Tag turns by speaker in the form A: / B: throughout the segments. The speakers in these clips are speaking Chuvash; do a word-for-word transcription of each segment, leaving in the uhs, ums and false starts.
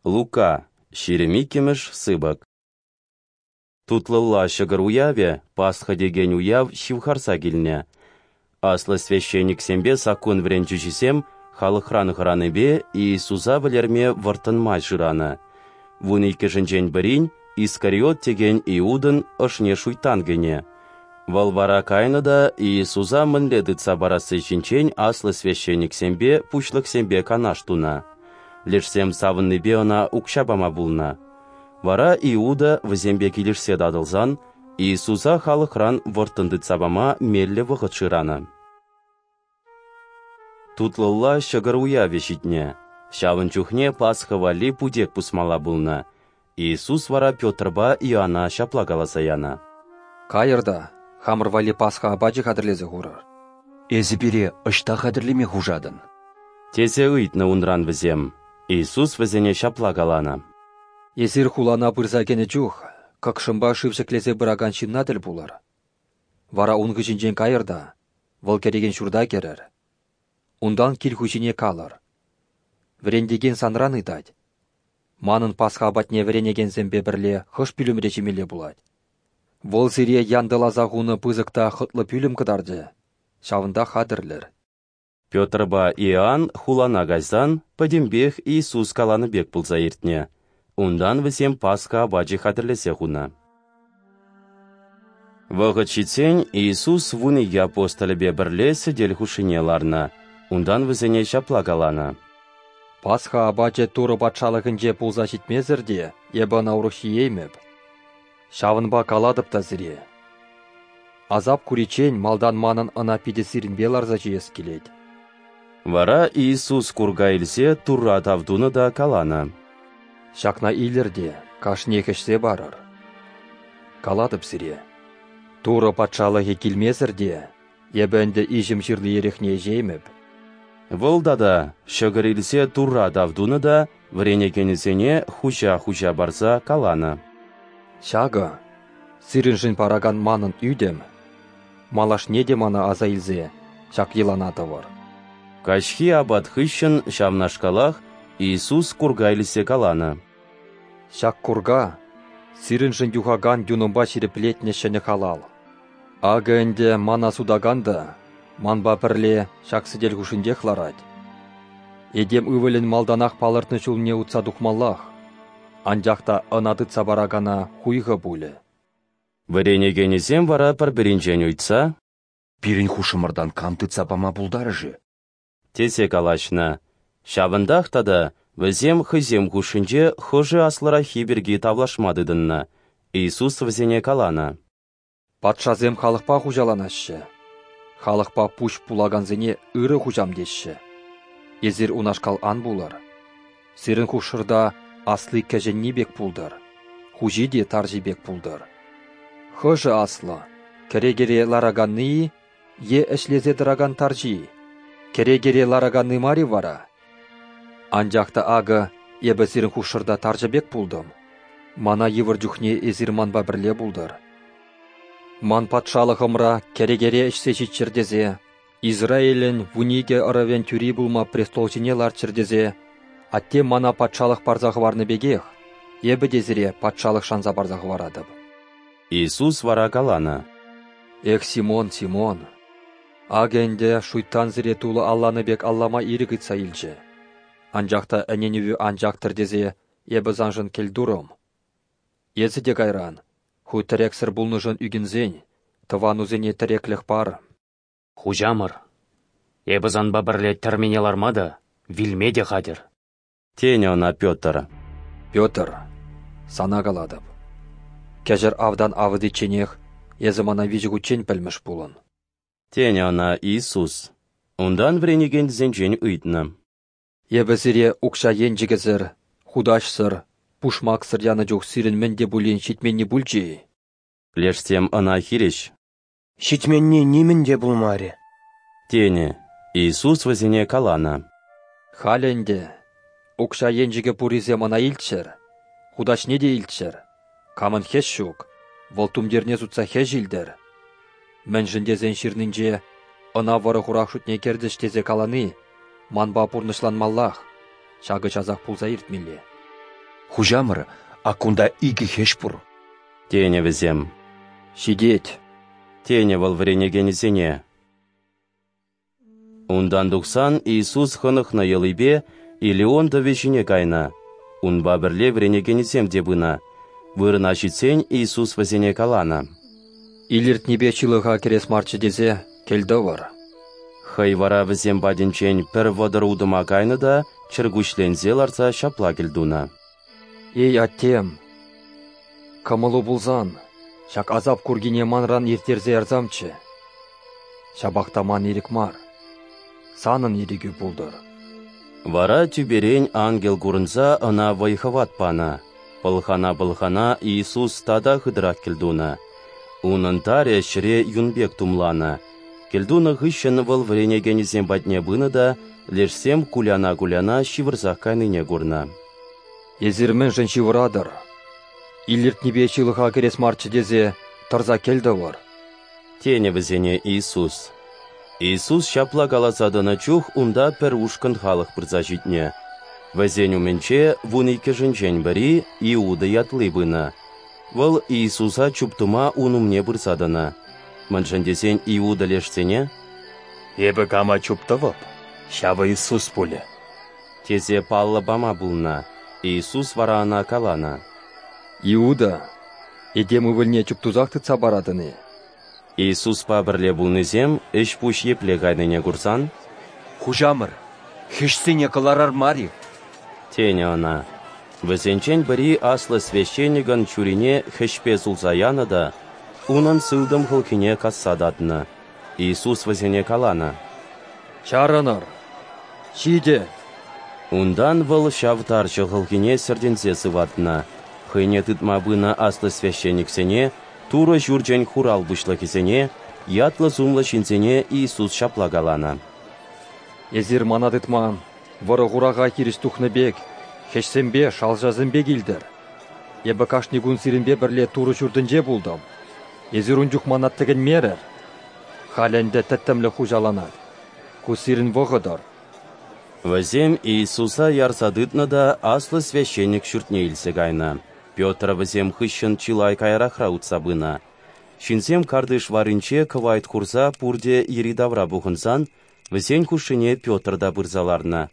A: Лука, ҫирӗм иккӗмӗш сыпӑк. Тутлӑлла ҫӑкӑр уявӗ, Пасха текен уяв, ҫывхарса килнӗ. Аслӑ священниксемпе саккун вӗрентӳҫисем халӑхран хӑранипе Иисуса вӗлерме вӑрттӑн май шыранӑ. Вун иккӗшӗнчен пӗрин, Искариот текен Иудӑн, ӑшне шуйттан кӗнӗ. Вӑл вара кайнӑ та Иисуса мӗнле тытса парасси ҫинчен аслӑ священниксемпе, пуҫлӑхсемпе канаш тунӑ. Лешсем савӑннипе ӑна укҫа пама пулнӑ. Вара Иуда, вӗсемпе килӗшсе татӑлсан, Иисуса халӑхран вӑрттӑн тытса пама меллӗ вӑхӑт шыранӑ. Тутлӑлла ҫӑкӑр уявӗ ҫитнӗ. Ҫавӑн чухне Пасха валли путек пусмалла пулнӑ. Иисус вара Петрпа Иоана ҫапла каласа янӑ:
B: «Кайӑр та хамӑр валли Пасха апачӗ хатӗрлесе хурӑр».
C: «Эсӗ пире ӑҫта хатӗрлеме хушатӑн?»
A: тесе ыйтнӑ унран вӗсем. Иисус вӗсене ҫапла каланӑ:
B: «Эсир хулана пырса кӗнӗ чух кӑкшӑмпа шыв ҫӗклесе пыракан ҫынна тӗл пулӑр. Вара ун хыҫӗнчен кайӑр та вӑл кӗрекен ҫурта кӗрӗр. Унтан кил хуҫине калӑр: Вӗрентекен санран ыйтать: манӑн Пасха апатне вӗренекенсемпе пӗрле хӑш пӳлӗмре ҫимелле пулать? Вӑл сире янтӑласа хунӑ пысӑк та хӑтлӑ пӳлӗм кӑтартӗ, ҫавӑнта хатӗрлӗр».
A: Петрпа Иоанн хулана кайсан пӗтӗмпех Иисус каланӑ пек пулса иртнӗ. Унтан вӗсем Пасха апачӗ хатӗрлесе хунӑ. Вӑхӑт ҫитсен Иисус вун икӗ апостолӗпе пӗрле сӗтел хушшине ларнӑ. Унтан вӗсене ҫапла каланӑ:
B: «Пасха апачӗ Турӑ патшалӑхӗнче пулса ҫитмесӗр те эпӗ ӑна урӑх ҫиеймӗп. Ҫавӑнпа калатӑп та сире: асап куриччен малтан манӑн ӑна питӗ сирӗнпе ларса ҫиес килет».
A: Вара Иисус курка илсе Турра тав тунӑ та каланӑ:
B: «Ҫакна илӗр те кашниех ӗҫсе парӑр. Калатӑп сире, Турӑ патшалӑхӗ килмесӗр те эпӗ ӗнтӗ иҫӗм ҫырли эрехне ӗҫеймӗп».
A: Вӑл тата ҫӑкӑр илсе Турра тав тунӑ та вӗренекенӗсене хуҫа-хуҫа парса каланӑ:
B: «Ҫакӑ сирӗншӗн паракан манӑн ӳтӗм, малашне те мана аса илсе ҫак йӑлана тӑвӑр».
A: Каҫхи апат хыҫҫӑн ҫавнашкалах Иисус курка илсе каланӑ:
B: «Ҫак курка сирӗншӗн юхакан юнӑмпа ҫирӗплетнӗ ҫӗнӗ халал. Акӑ ӗнтӗ мана сутакан та манпа пӗрле ҫак сӗтел хушшинчех ларать. Этем ывӑлӗн малтанах палӑртнӑ ҫулне утса тухмаллах, анчах та ӑна тытса паракана хуйхӑ пулӗ».
A: Вӗренекенӗсем вара пӗр-пӗринчен ыйтса:
C: «Пирӗн хушӑмӑртан кам тытса пама пултарӗ-ши?»
A: тесе калаҫнӑ. Ҫавӑнтах тата вӗсем хӑйсем хушшинче хӑшӗ аслӑраххи пирки тавлашма тытӑннӑ. Иисус вӗсене каланӑ:
B: «Патшасем халӑхпа хуҫаланаҫҫӗ, халӑхпа пуҫ пулакансене ырӑ хуҫам теҫҫӗ. Эсир унашкал ан пулӑр. Сирӗн хушшӑрта асли кӗҫӗнни пек пултӑр, хуҫи те тарҫи пек пултӑр. Хӑшӗ аслӑ, кӗрекере лараканни-и е ӗҫлесе тӑракан тарҫи-и? Кӗрекере лараканни мар-и вара? Анчах та акӑ эпӗ сирӗн хушшӑрта тарҫӑ пек пултӑм. Мана йывӑр чухне эсир манпа пӗрле пултӑр. Ман патшалӑхӑмра кӗрекере ӗҫсе ҫиччӗр тесе, Израилӗн вун икӗ ӑрӑвӗн тӳри пулма престол ҫине ларччӑр тесе, Атте мана патшалӑх парса хӑварнӑ пекех, эпӗ те сире патшалӑх шанса парса хӑваратӑп».
A: Иисус вара каланӑ:
B: «Эх, Симон, Симон, акӑ ӗнтӗ шуйттан сире тулӑ алланӑ пек аллама ирӗк ыйтса илчӗ. Анчах та ӗненӗвӳ ан чактӑр тесе эпӗ саншӑн кӗлтурӑм. Эсӗ те кайран, ху тӗрексӗр пулнӑшӑн ӳкӗнсен, тӑванусене тӗреклӗх пар».
D: «Хуҫамӑр, эпӗ санпа пӗрле тӗрмене ларма та, вилме те хатӗр»,
A: тенӗ ӑна Петр.
B: «Петр, сана калатӑп, кӗҫӗр автан авӑтичченех эсӗ мана виҫӗ хутчен пӗлмӗш пулӑн»,
A: тенӗ ӑна Иисус. Унтан вӗренекенсенчен ыйтнӑ:
B: «Эпӗ сире укҫа енчӗкӗсӗр, хутаҫсӑр, пушмаксӑр янӑ чух сирӗн мӗн те пулин ҫитменни пулчӗ-и?»
A: Лешсем ӑна хирӗҫ:
E: «Ҫитменни нимӗн те пулмарӗ»,
A: тенӗ. Иисус вӗсене каланӑ:
B: «Халӗ ӗнтӗ укҫа енчӗкӗ пуррисем ӑна илччӗр, хутаҫне те илччӗр. Камӑн хӗҫ ҫук, вӑл тумтирне сутса хӗҫ илтӗр. Мӗншӗн тесен ҫырнинче ӑна вӑрӑ-хурах шутне кӗртӗҫ тесе калани манпа пурнӑҫланмаллах, ҫакӑ часах пулса иртмелле».
C: Хуҫамӑр, ак кунта икӗ хӗҫ пур.
A: Тенӗ вӗсем.
B: Ҫитет,
A: тенӗ вӑл вӗренекенӗсене. Унтан тухсан Иисус хӑнӑхнӑ йӑлипе Илион тӑвӗ ҫине кайнӑ. Унпа пӗрле вӗренекенӗсем те пынӑ. Вырӑна ҫитсен Иисус вӗсене каланӑ:
B: Илӗртнипе ҫылӑха кӗрес марччӗ тесе кӗлтӑвӑр.
A: Хӑй вара вӗсем патӗнчен пӗр вӑтӑр утӑма кайнӑ та чӗркуҫленсе ларса ҫапла кӗлтунӑ:
B: Эй, Аттем, кӑмӑлу пулсан, ҫак асап куркине манран ирттерсе ярсамччӗ. Ҫапах та ман ирӗк мар, санӑн ирӗкӳ пултӑр.
A: Вара тӳперен ангел курӑнса ӑна вӑй-хӑват панӑ. Пӑлхана-пӑлхана Иисус тата хытӑрах кӗлтунӑ. Унӑн тарӗ ҫӗре юн пек тумланӑ. Кӗлтунӑ хыҫҫӑн вӑл вӗренекенӗсем патне пынӑ та лешсем куляна-куляна ҫывӑрсах кайнине курнӑ.
B: Эсир мӗншӗн ҫывӑратӑр? Илӗртнипе ҫылӑха кӗрес марччӗ тесе тӑрса кӗлтӑвӑр,
A: тенӗ вӗсене Иисус. Иисус ҫапла каласа тӑнӑ чух унта пӗр ушкӑн халӑх пырса ҫитнӗ. Вӗсен умӗнче вун иккӗшӗнчен пӗри Иуда ятли пынӑ. Вӑл Иисуса чуптума ун умне пырса тӑнӑ. Мӗншӗн тесен Иуда лешсене:
F: Эпӗ кама чуптӑвӑп, ҫавӑ Иисус пулӗ,
A: тесе паллӑ пама пулнӑ. Иисус вара ӑна каланӑ:
B: Иуда, этем ывӑлне чуптусах тытса паратӑн-и?
A: Иисуспа пӗрле пулнисем ӗҫ-пуҫ епле кайнине курсан:
C: Хуҫамӑр, хӗҫсене кӑларар мар-и?
A: Тенӗ ӑна. Вӗсенчен пӗри аслӑ священникӑн чурине хӗҫпе сулса янӑ та унӑн сылтӑм хӑлхине касса татнӑ. Иисус вӗсене каланӑ:
B: Чарӑнӑр! Ҫитӗ!
A: Унтан вӑл ҫав тарҫӑ хӑлхине сӗртӗнсе сыватнӑ. Хӑйне тытма пынӑ аслӑ священниксене, Турӑ ҫурчӗн хурал пуҫлӑхӗсене, ятлӑ-сумлӑ ҫынсене Иисус ҫапла каланӑ:
B: Эсир мана тытма вӑрӑ-хураха хирӗҫ тухнӑ пек хӗҫсемпе, шалҫасемпе килтӗр. Эпӗ кашни кун сирӗнпе пӗрле Турӑ ҫуртӗнче пултӑм. Эсир ун чух мана тӗкӗнмерӗр. Халь ӗнтӗ тӗттӗмлӗх хуҫаланать. Ку сирӗн вӑхӑтӑр.
A: Вӗсем Иисуса ярса тытнӑ та аслӑ священник ҫуртне илсе кайнӑ. Петр вӗсем хыҫҫӑн чылай каярахра утса пынӑ. Ҫынсем картиш варринче кӑвайт хурса пурте йӗри-тавра пухӑнсан, вӗсен хушшине Петр та пырса ларнӑ.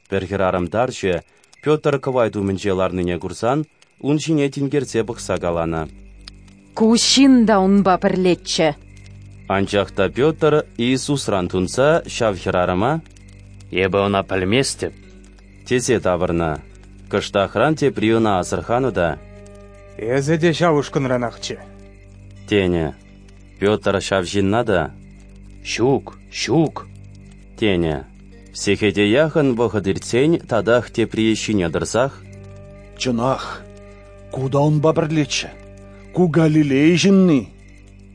A: Пӗр хӗрарӑм тарҫӑ Петр кӑвайт умӗнче ларнине курсан, ун ҫине тинкерсе пӑхса каланӑ:
G: Ку ҫын та унпа пӗрлеччӗ.
A: Анчах та Петр Иисусран тунса ҫав хӗрарӑма:
D: Эпӗ ӑна пӗлместӗп,
A: тесе тавӑрнӑ. Кӑштахран тепри ӑна асӑрханӑ та:
H: Эсӗ те ҫав ушкӑнранахчӗ,
A: тенӗ. Петр ҫав ҫынна та:
D: Ҫук, ҫук,
A: тенӗ. Сехете яхӑн вӑхӑт иртсен татах тепри ҫине тӑрсах:
I: Чӑнах, ку та унпа пӗрлеччӗ, ку Галилей ҫынни,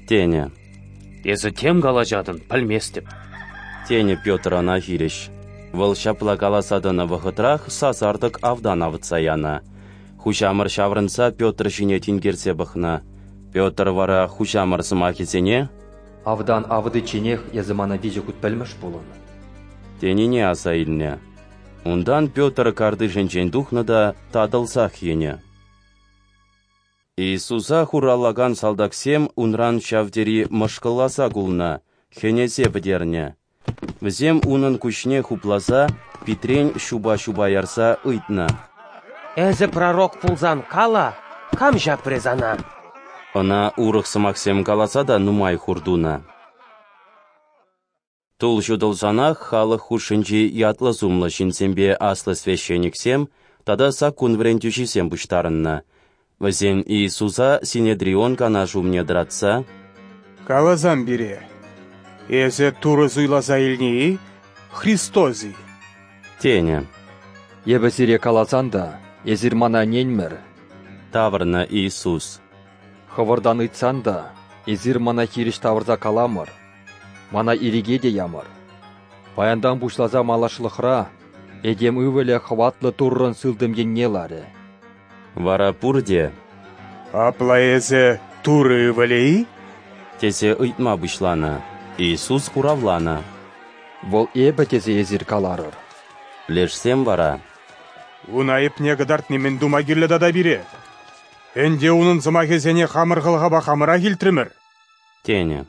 A: тенӗ.
D: Эсӗ тем калаҫатӑн, пӗлместӗп,
A: тенӗ Петр ӑна хирӗҫ. Вӑл ҫапла каласа тӑнӑ вӑхӑтрах сасартӑк автан авӑтса янӑ. Хуҫамӑр ҫаврӑнса Петр ҫине тинкерсе пӑхнӑ. Петр вара хуҫамӑр сӑмахӗсене:
B: Автан авӑтичченех эсӗ мана виҫӗ хут пӗлмӗш пулӑн,
A: тенине аса илнӗ. Унтан Петр картишӗнчен тухнӑ та татӑлсах йӗнӗ. Иисуса хураллакан салтаксем унран ҫав тери мӑшкӑлласа кулнӑ, хӗнесе пӗтернӗ. Вӗсем унӑн куҫне хупласа, питрен ҫупа-ҫупа ярса ыйтнӑ:
E: Эсӗ пророк пулсан кала, кам ҫапрӗ сана?
A: Ӑна урӑх сӑмахсем каласа та нумай хур тунӑ. Тул ҫутӑлсанах халӑх хушшинчи ятлӑ-сумлӑ ҫынсемпе аслӑ священниксем тата саккун вӗрентӳҫисем пуҫтарӑннӑ. Вӗсем Иисуса Синедрион канаш умне тӑратса:
H: Каласам пире, эсӗ Турӑ суйласа илнӗ-и, Христос-и?
A: Тенӗ.
B: Эпӗ сире каласан та, эсир мана ӗненмӗр,
A: тавӑрнӑ Иисус.
B: Хӑвӑртан ыйтсан та, эсир мана хирӗҫ тавӑрса каламӑр, мана ирӗке те ямӑр. Паянтан пуҫласа малашлӑхра этем ывӑлӗ хӑватлӑ Туррӑн сылтӑм енне ларӗ.
A: Вара пурте:
H: Апла эсӗ Турӑ ывӑлӗ-и?
A: тесе ыйтма пуҫланӑ. Иисус хуравланӑ:
B: Вӑл эпӗ тесе эсир каларӑр.
A: Лешсем вара:
H: Ун айӑпне кӑтартни мӗн тума кирлӗ тата пире? Ӗнтӗ унӑн сӑмахӗсене хамӑр хӑлхапа хамӑрах илтрӗмӗр.
A: Тенӗ.